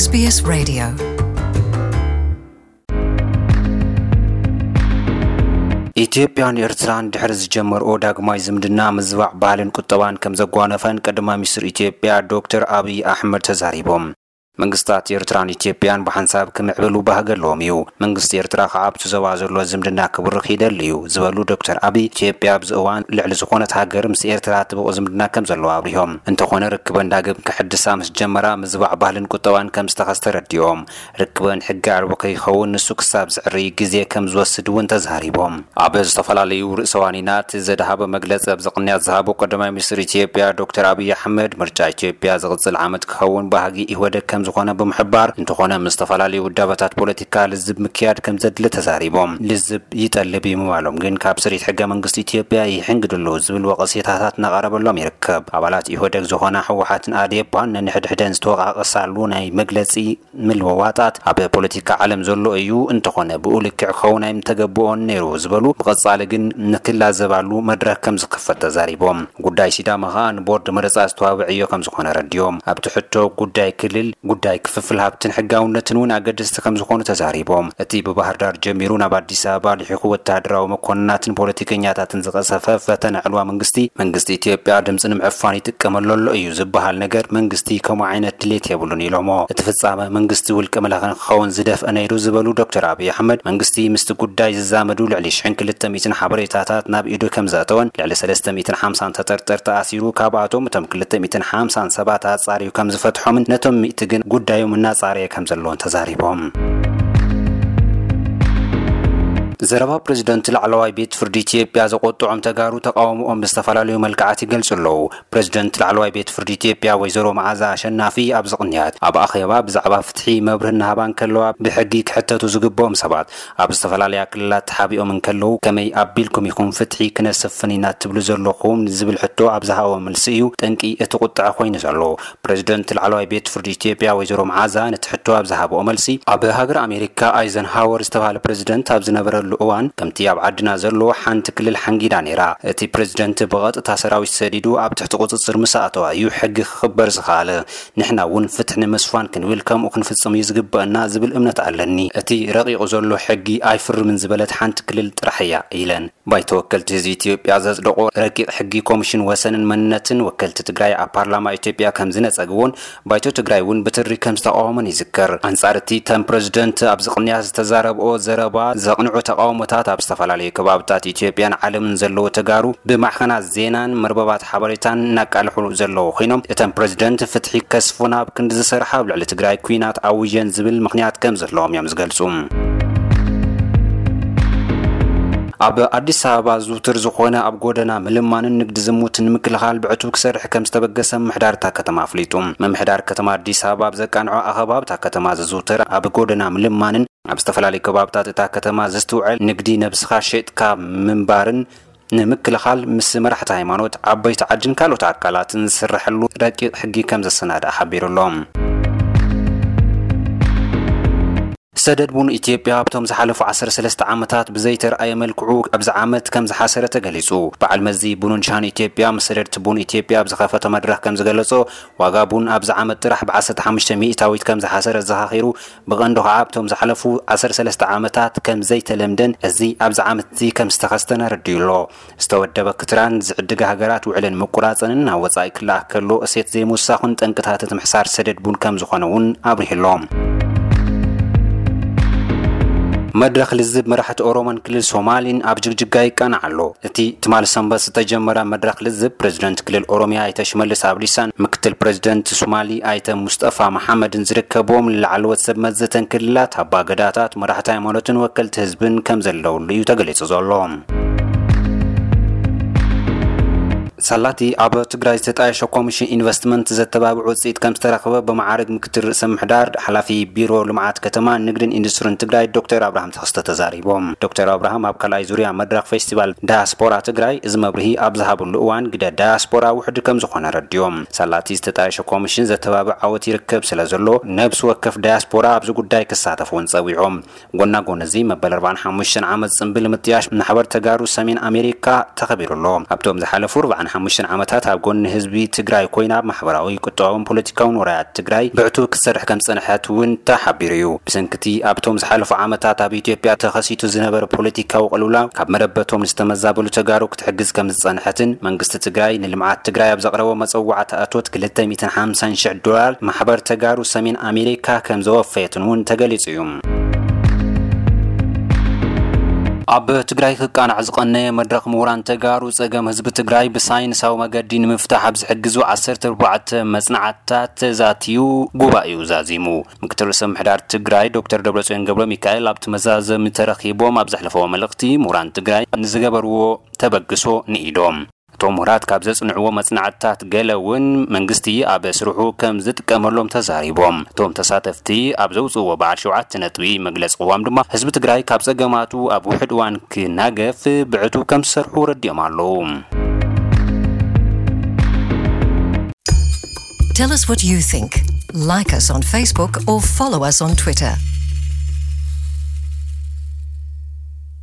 SBS Radio. ኢትዮጵያን ኤርትራን ድሕሪ ዝጀመርኦ ዳግማይ ዝምድና ምዝባዕ ባህልን ቁጠባን ከም ዘጓነፈን ቀዳማይ ሚኒስትር ኢትዮጵያ ዶክተር ኣብይ ኣሕመድ ተዛሪቦም። መንግስታት ኤርትራን ኢትዮጵያን ብሓንሳብ ክምዕብሉ ባህጊ ኣለዎም እዩ። መንግስቲ ኤርትራ ከኣ ኣብቲ ዞባ ዘሎ ዝምድና ክብርኽ ይደሊ እዩ ዝበሉ ዶክተር ኣብይ፣ ኢትዮጵያ ኣብዚ እዋን ልዕሊ ዝኾነት ሃገር ምስ ኤርትራ ጥቡቕ ዝምድና ከም ዘለዋ ኣብሪሆም። እንተኾነ ርክበን ዳግም ክሕድሳ ምስ ጀመራ ምዝባዕ ባህልን ቁጠባን ከም ዝተኸስተ ረዲኦም። ርክበን ሕጊ ኣልቦ ከይኸውን ንሱ ክሳብ ዝዕሪ ግዜ ከም ዝወስድ እውን ተዛሪቦም። ኣብ ዝተፈላለዩ ርእሰ ዋኒናት ዘድሃበ መግለጺ ኣብዚ ቅንያት ዝሃቡ ቀዳማይ ሚኒስትር ኢትዮጵያ ዶክተር ኣብይ ኣሕመድ፣ ምርጫ ኢትዮጵያ ዝቕጽል ዓመት ክኸውን ባህጊ ኢህወደግ ከም ዝኾነ ብምሕባር፣ እንተኾነ ምስ ዝተፈላለዩ ውዳበታት ፖለቲካ ልዝብ ምክያድ ከም ዘድሊ ተዛሪቦም። ልዝብ ይጠልብ እዩ ምባሎም ግን ካብ ስሪት ሕገ መንግስቲ ኢትዮጵያ ይሕንግድ ኣሎ ዝብል ወቐሴታታት እናቐረበሎም ይርከብ። ኣባላት ኢህወደግ ዝኾና ህወሓትን ኣዴፓን ነንሕድሕደን ዝተወቃቀሳሉ ናይ መግለጺ ምልውዋጣት ኣብ ፖለቲካ ዓለም ዘሎ እዩ፣ እንተኾነ ብኡ ልክዕ ክኸውን ኣይምተገብኦን ነይሩ ዝበሉ፣ ብቐጻሊ ግን ንክላዘባሉ መድረኽ ከም ዝኽፈት ተዛሪቦም። ጉዳይ ሲዳማ ኸኣ ንቦርድ መረጻ ዝተዋብዐዮ ከም ዝኾነ ረዲዮም። ኣብቲ ሕቶ ጉዳይ ክልል፣ ጉዳይ ክፍፍል ሃብትን ሕጋውነትን እውን ኣገደስቲ ከም ዝኾኑ ተዛሪቦም። እቲ ብባህር ዳር ጀሚሩ ናብ ኣዲስ ኣበባ ልሒኹ ወተሃደራዊ መኮንናትን ፖለቲከኛታትን ዝቐሰፈ ፈተነ ዕልዋ መንግስቲ፣ መንግስቲ ኢትዮጵያ ድምፂ ንምዕፋን ይጥቀመሉ ኣሎ እዩ ዝበሃል ነገር መንግስቲ ከምኡ ዓይነት ድሌት የብሉን ኢሎሞ። እቲ ፍጻመ መንግስቲ ውልቀ መላኺ ንክኸውን ዝደፍአ ነይሩ ዝበሉ ዶክተር ኣብይ ኣሕመድ፣ መንግስቲ ምስቲ ጉዳይ ዝዛመዱ ልዕሊ ሽሕን ክልተ ሚእትን ሓበሬታታት ናብ ኢዱ ከም ዘእተወን ልዕሊ ሰለስተ ሚእትን ሓምሳን ተጠርጠርቲ ኣሲሩ፣ ካብኣቶም እቶም ክልተ ሚእትን ሓምሳን ሰባት ኣጻርዩ ከም ዝፈትሖምን ነቶም ሚእቲ ግን ጉዳዮም እናጻረየ ከም ዘለዎን ተዛሪቦም። ዘረባ ፕሬዝደንት ላዕለዋይ ቤት ፍርዲ ኢትዮጵያ ዘቆጥዖም ተጋሩ ተቃውሞኦም ብዝተፈላለዩ መልክዓት ይገልጹ ኣለዉ። ፕሬዝደንት ላዕለዋይ ቤት ፍርዲ ኢትዮጵያ ወይዘሮ መዓዛ ኣሸናፊ ኣብዚ ቅንያት ኣብ ኣኼባ ብዛዕባ ፍትሒ መብርሂ እናሃባ እንከለዋ፣ ብሕጊ ክሕተቱ ዝግብኦም ሰባት ኣብ ዝተፈላለያ ክልላት ተሓቢኦም እንከለዉ ከመይ ኣቢልኩም ኢኹም ፍትሒ ክነሰፍን ኢና ትብሉ ዘለኹም ዝብል ሕቶ ኣብ ዝሃብኦ መልሲ እዩ ጠንቂ እቲ ቁጥዐ ኮይኑ ዘሎ። ፕሬዝደንት ላዕለዋይ ቤት ፍርዲ ኢትዮጵያ ወይዘሮ መዓዛ ነቲ ሕቶ ኣብ ዝሃብኦ መልሲ፣ ኣብ ሃገር ኣሜሪካ ኣይዘንሃወር ዝተባህለ ፕሬዝደንት ኣብ ዝነበረሉ እዋን ከምቲ ኣብ ዓድና ዘሎ ሓንቲ ክልል ሓንጊዳ ነይራ። እቲ ፕሬዝደንት ብቐጥታ ሰራዊት ሰዲዱ ኣብ ትሕቲ ቁጽጽር ምስ ኣእተዋ እዩ ሕጊ ክኽበር ዝኸኣለ። ንሕና እውን ፍትሒ ንምስፋን ክንብል ከምኡ ክንፍጽም እዩ ዝግበአና ዝብል እምነት ኣለኒ። እቲ ረቂቑ ዘሎ ሕጊ ኣይፍርምን ዝበለት ሓንቲ ክልል ጥራሕ እያ ኢለን። ባይቶ ወከልቲ ህዝቢ ኢትዮጵያ ዘጽደቆ ረቂቕ ሕጊ ኮሚሽን ወሰንን መንነትን ወከልቲ ትግራይ ኣብ ፓርላማ ኢትዮጵያ ከም ዝነጸግዎን ባይቶ ትግራይ እውን ብትሪ ከም ዝተቃወሞን ይዝከር። ኣንጻር እቲ እተን ፕረዚደንት ኣብዚ ቅንያት ዝተዛረብኦ ዘረባ ዘቕንዑ ተቃውሞታት ኣብ ዝተፈላለዩ ከባብታት ኢትዮጵያን ዓለምን ዘለዉ ተጋሩ ብማዕኸናት ዜናን መርበባት ሓበሬታን እናቃልሑ ዘለዉ ኮይኖም፣ እተን ፕረዚደንት ፍትሒ ከስፉን ኣብ ክንዲ ዝሰርሓ ኣብ ልዕሊ ትግራይ ኲናት ኣውጀን ዝብል ምኽንያት ከም ዘለዎም እዮም ዝገልጹ። ኣብ ኣዲስ ኣበባ ዝውትር ዝኾነ ኣብ ጎደና ምልማንን ንግዲ ዝሙትን ንምክልኻል ብዕቱብ ክሰርሕ ከም ዝተበገሰ ምምሕዳር እታ ከተማ ኣፍሊጡ። ምምሕዳር ከተማ ኣዲስ ኣበባ ኣብ ዘቃንዖ ኣኸባ ኣብታ ከተማ ዝዝውተር ኣብ ጎደና ምልማንን ኣብ ዝተፈላለዩ ከባብታት እታ ከተማ ዝስትውዐል ንግዲ ነብስኻ ሸጥካ ምንባርን ንምክልኻል ምስ መራሕቲ ሃይማኖት፣ ዓበይቲ ዓድን ካልኦት ኣካላትን ዝስረሐሉ ረቂቕ ሕጊ ከም ዘሰናድኣ ሓቢሩ ኣሎ። ሰደድ ቡን ኢትዮጵያ ኣብቶም ዝሓለፉ ዓሰርተ ሰለስተ ዓመታት ብዘይተርኣየ መልክዑ ኣብዚ ዓመት ከም ዝሓሰረ ተገሊጹ። በዓል መዚ ቡንን ሻሂን ኢትዮጵያ ምስ ሰደድቲ ቡን ኢትዮጵያ ኣብ ዝኸፈቶ መድረኽ ከም ዝገለጾ፣ ዋጋ ቡን ኣብዚ ዓመት ጥራሕ ብ ዓሰርተ ሓሙሽተ ሚእታዊት ከም ዝሓሰረ ዘኻኺሩ፣ ብቐንዱ ኸዓ ኣብቶም ዝሓለፉ ዓሰርተ ሰለስተ ዓመታት ከም ዘይተለምደን እዚ ኣብዚ ዓመት እዚ ከም ዝተኸስተን ኣረዲኡ ኣሎ። ዝተወደበ ክትራን ዝዕድጋ ሃገራት ውዕለን ምቁራጸንን ናብ ወጻኢ ክለኣኽ ከሎ እሴት ዘይምውሳኹን ጠንቅታት እቲ ምሕሳር ሰደድ ቡን ከም ዝኾነ እውን ኣብሪሁ ኣሎ። መድረኽ ልዝብ መራሕቲ ኦሮሞን ክልል ሶማሊን ኣብ ጅግጅጋ ይቃናዕ ኣሎ። እቲ ትማል ሰንበት ዝተጀመረ መድረኽ ልዝብ ፕሬዝደንት ክልል ኦሮሚያ ኣይተ ሽመልስ ኣብዲሳን ምክትል ፕሬዝደንት ሶማሊ ኣይተ ሙስጠፋ መሓመድን ዝርከብዎም ላዕለዎት ሰብ መዚ እተን ክልላት፣ ኣባ ገዳታት፣ መራሕቲ ሃይማኖትን ወከልቲ ህዝብን ከም ዘለውሉ እዩ ተገሊጹ ዘሎ። ሳላቲ ኣብ ትግራይ ዝተጣየሸ ኮሚሽን ኢንቨስትመንት ዘተባብዕ ውፅኢት ከም ዝተረኽበ ብመዓርግ ምክትል ርእሰ ምሕዳር ሓላፊ ቢሮ ልምዓት ከተማ ንግድን ኢንዱስትሪን ትግራይ ዶክተር ኣብርሃም ተኸስተ ተዛሪቦም። ዶክተር ኣብርሃም ኣብ ካልኣይ ዙርያ መድረኽ ፌስቲቫል ዳያስፖራ ትግራይ እዚ መብርሂ ኣብ ዝሃብሉ እዋን ግደ ዳያስፖራ ውሕድ ከም ዝኾነ ረዲዮም። ሳላቲ ዝተጣየሸ ኮሚሽን ዘተባብዕ ዓወት ይርከብ ስለ ዘሎ ነብሲ ወከፍ ዳያስፖራ ኣብዚ ጉዳይ ክሳተፍ እውን ጸዊዖም። ጎና ጎን እዚ መበል ኣርባዓን ሓሙሽተን ዓመት ጽምብል ምጥያሽ ማሕበር ተጋሩ ሰሜን ኣሜሪካ ተኸቢሩ ኣሎ። ኣብቶም ዝሓለፉ ኣርባዓን ሓሙሽተ ዓመታት ኣብ ጎኒ ህዝቢ ትግራይ ኮይና ኣብ ማሕበራዊ፣ ቁጠባውን ፖለቲካውን ወራያት ትግራይ ብዕቱ ክትሰርሕ ከም ዝጸንሐት እውን ተሓቢሩ እዩ። ብሰንክቲ ኣብቶም ዝሓለፉ ዓመታት ኣብ ኢትዮጵያ ተኸሲቱ ዝነበረ ፖለቲካዊ ቅልውላው ካብ መረበቶም ዝተመዛበሉ ተጋሩ ክትሕግዝ ከም ዝጸንሐትን መንግስቲ ትግራይ ንልምዓት ትግራይ ኣብ ዘቕረቦ መጸዋዕታ እቶት ክልተ ሚእትን ሓምሳን ሽሕ ዶላር ማሕበር ተጋሩ ሰሜን ኣሜሪካ ከም ዘወፈየትን እውን ተገሊጹ እዩ። ኣብ ትግራይ ክቃናዕ ዝቐነየ መድረኽ ምሁራን ተጋሩ ጸገም ህዝቢ ትግራይ ብሳይንሳዊ መገዲ ንምፍታሕ ኣብ ዝሕግዙ ዓሰርተ ኣርባዕተ መጽናዕትታት ተዛትዩ ጉባኤኡ ዛዚሙ። ምክትል ርእሰ ምሕዳር ትግራይ ዶክተር ደብረጽዮን ገብረ ሚካኤል ኣብቲ መዛዘሚ ተረኺቦም ኣብ ዘሕለፈዎ መልእኽቲ ምሁራን ትግራይ ንዝገበርዎ ተበግሶ ንኢዶም። እቶም ምሁራት ካብ ዘጽንዕዎ መጽናዕትታት ገለ እውን መንግስቲ ኣብ ስርሑ ከም ዝጥቀመሎም ተዛሪቦም። እቶም ተሳተፍቲ ኣብ ዘውፅእዎ በዓል ሸውዓተ ነጥቢ መግለፂ ቅዋም ድማ ህዝቢ ትግራይ ካብ ጸገማቱ ኣብ ውሕድ እዋን ክናገፍ ብዕቱ ከም ዝሰርሑ ረዲኦም ኣለዉ። Tell us what you think. Like us on Facebook or follow us on Twitter.